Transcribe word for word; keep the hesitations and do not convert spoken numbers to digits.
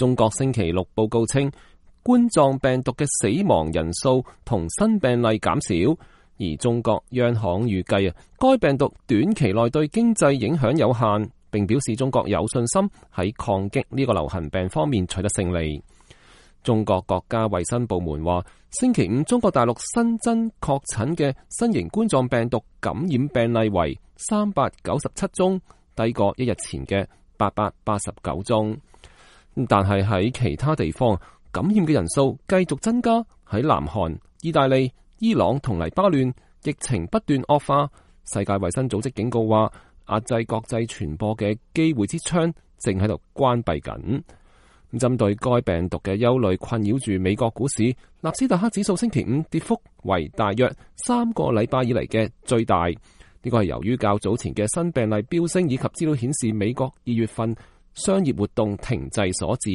中國星期六報告稱，冠狀病毒嘅死亡人數同新病例減少，而中國央行預計啊，該病毒短期內對經濟影響有限，並表示中國有信心喺抗擊呢個流行病方面取得勝利。中國國家衛生部門話，星期五中國大陸新增確診嘅新型冠狀病毒感染病例為三百九十七宗，低過一日前嘅八百八十九宗。但係喺其他地方，感染嘅人數繼續增加。喺南韓、意大利、伊朗同黎巴嫩，疫情不斷惡化。世界衛生組織警告話，壓制國際傳播嘅機會之窗正喺度關閉緊。針對該病毒嘅憂慮困擾住美國股市，納斯達克指數星期五跌幅為大約三個禮拜以嚟嘅最大。呢個係由於較早前嘅新病例飆升以及資料顯示美國二月份商業活動停滯所致。